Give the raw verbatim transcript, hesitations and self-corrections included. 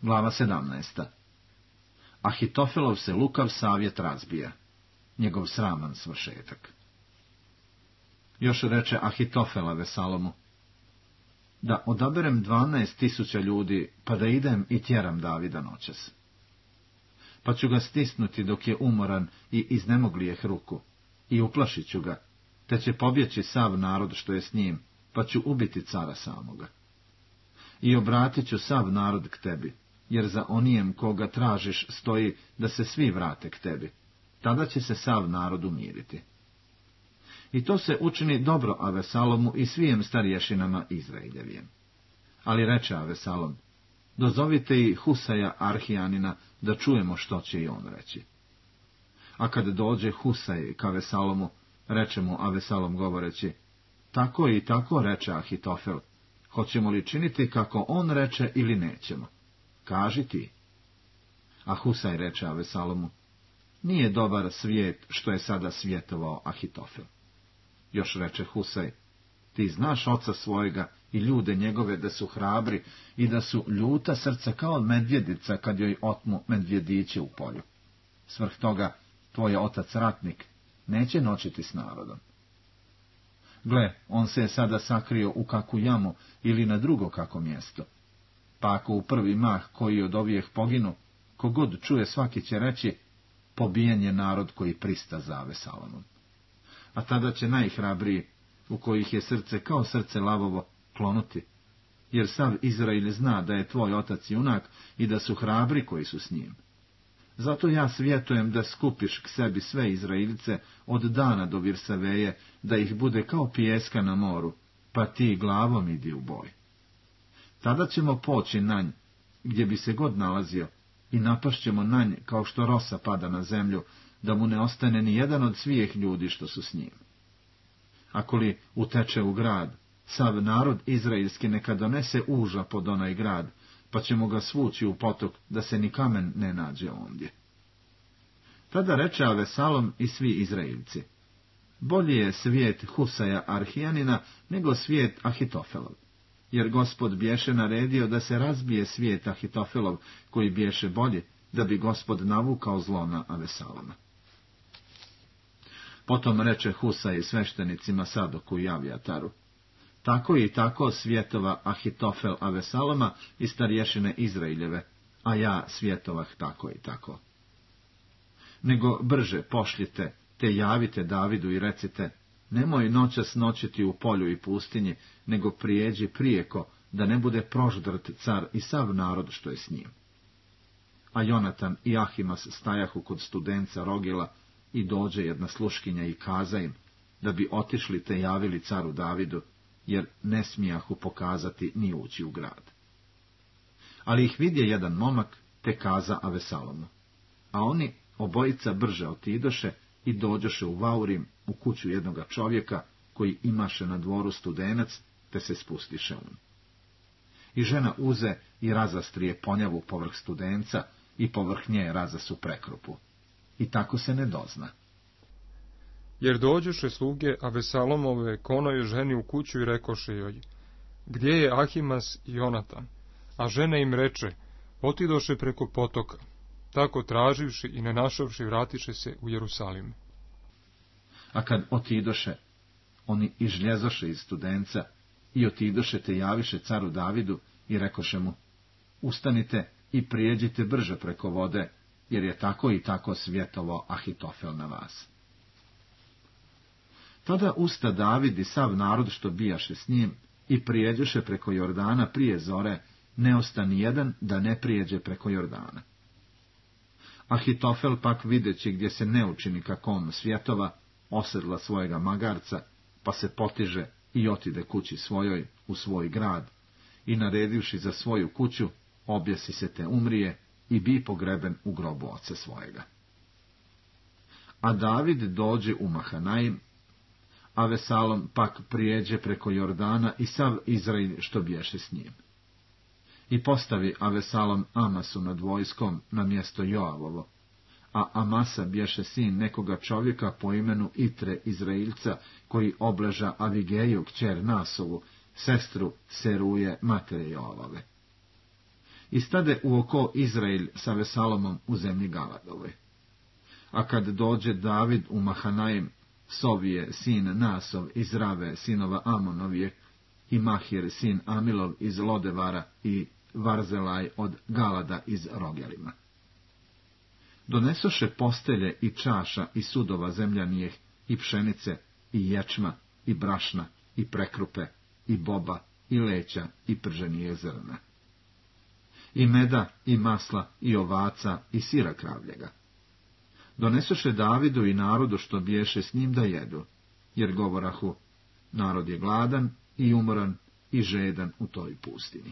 Glava sedamnaesta. Ahitofelov se lukav savjet razbija. Njegov sraman svršetak. Još reče Ahitofel Avesalomu: da odaberem dvanaest tisuća ljudi, pa da idem i tjeram Davida noćas. Pa ću ga stisnuti dok je umoran i iznemoglijeh ruku, i uplašit ću ga, te će pobjeći sav narod što je s njim, pa ću ubiti cara samoga. I obratit ću sav narod k tebi, jer za onijem koga tražiš stoji da se svi vrate k tebi. Tada će se sav narod umiriti. I to se učini dobro Avesalomu i svijem starješinama Izraeljevijem. Ali reče Avesalom: dozovite i Husaja Arhijanina, da čujemo što će i on reći. A kad dođe Husaj k Avesalomu, reče mu Avesalom govoreći: tako i tako reče Ahitofel, hoćemo li činiti kako on reče ili nećemo? Kaži ti. A Husaj reče Avesalomu: nije dobar svijet što je sada svjetovao Ahitofel. Još reče Husaj: ti znaš oca svojega i ljude njegove da su hrabri i da su ljuta srca kao medvjedica kad joj otmu medvjediće u polju. Svrh toga, tvoj otac ratnik neće noćiti s narodom. Gle, on se je sada sakrio u kakvu jamu ili na drugo kako mjesto. Pa ako u prvi mah koji od ovijeh poginu, kogod čuje svaki će reći: pobijen je narod koji prista za Avesalomom. A tada će najhrabriji, u kojih je srce kao srce lavovo, klonuti, jer sav Izrael zna da je tvoj otac junak i da su hrabri koji su s njim. Zato ja svjetujem da skupiš k sebi sve Izraelice od dana do Virsaveje, da ih bude kao pijeska na moru, pa ti glavom idi u boj. Tada ćemo poći na nj, gdje bi se god nalazio, i napašćemo na nj kao što rosa pada na zemlju, da mu ne ostane ni jedan od svijeh ljudi što su s njim. Ako li uteče u grad, sav narod izraelski neka donese uža pod onaj grad, pa ćemo ga svući u potok, da se ni kamen ne nađe ondje. Tada reče Avesalom i svi Izraelci: bolji je svijet Husaja Arhijanina nego svijet Ahitofelov, jer Gospod bješe naredio da se razbije svijet Ahitofelov, koji bješe bolji, da bi Gospod navukao zlo na Avesaloma. Potom reče Husaj sveštenicima Sadoku i Avijataru: tako i tako svjetova Ahitofel Avesaloma i starješine Izraeljeve, a ja svjetovah tako i tako. Nego brže pošljite, te javite Davidu i recite: nemoj noćas noćiti u polju i pustinji, nego prijeđi prijeko, da ne bude proždrt car i sav narod što je s njim. A Jonatan i Ahimas stajahu kod studenca Rogila, i dođe jedna sluškinja i kaza im, da bi otišli te javili caru Davidu, jer ne smijahu pokazati ni ući u grad. Ali ih vidje jedan momak, te kaza Avesalomu. A oni obojica brže otidoše i dođoše u Vaurim, u kuću jednoga čovjeka, koji imaše na dvoru studenac, te se spustiše un. I žena uze i razastrije ponjavu povrh studenca, i povrh nje razasu prekrupu. I tako se ne dozna. Jer dođoše sluge Avesalomove konoj ženi u kuću i rekoše joj: gdje je Ahimas i Jonatan? A žena im reče: otidoše preko potoka. Tako traživši i ne našavši vratiše se u Jerusalim. A kad otidoše, oni izžljezoše iz studenca i otidoše te javiše caru Davidu i rekoše mu: ustanite i prijeđite brže preko vode, jer je tako i tako svjetovao Ahitofel na vas. Tada usta David i sav narod što bijaše s njim i prijeđoše preko Jordana prije zore, ne osta ni jedan da ne prijeđe preko Jordana. Ahitofel pak videći gdje se ne učini kakom svjetova, osedla svojega magarca, pa se potiže i otide kući svojoj u svoj grad, i naredivši za svoju kuću, objesi se te umrije i bi pogreben u grobu oca svojega. A David dođe u Mahanaim, Avesalom pak prijeđe preko Jordana i sav Izrael što bješe s njim. I postavi Avesalom Amasu nad vojskom na mjesto Joavovo, a Amasa bješe sin nekoga čovjeka po imenu Itre Izrailca, koji obleža Avigeju kćer Nasovu, sestru Seruje matere Joavove. i stade u oko Izrael sa Vesalomom u zemlji Galadove. A kad dođe David u Mahanaim, Sovije, sin Nasov iz Rave, sinova Amonovije, i Mahir, sin Amilov iz Lodevara, i Varzelaj od Galada iz Rogelima. Donesoše postelje i čaša i sudova zemljanijeh, i pšenice, i ječma, i brašna, i prekrupe, i boba, i leća, i prženije zrna. I meda, i masla, i ovaca, i sira kravljega. Donesoše Davidu i narodu što biješe s njim da jedu, jer govorahu, narod je gladan i umoran i žedan u toj pustini.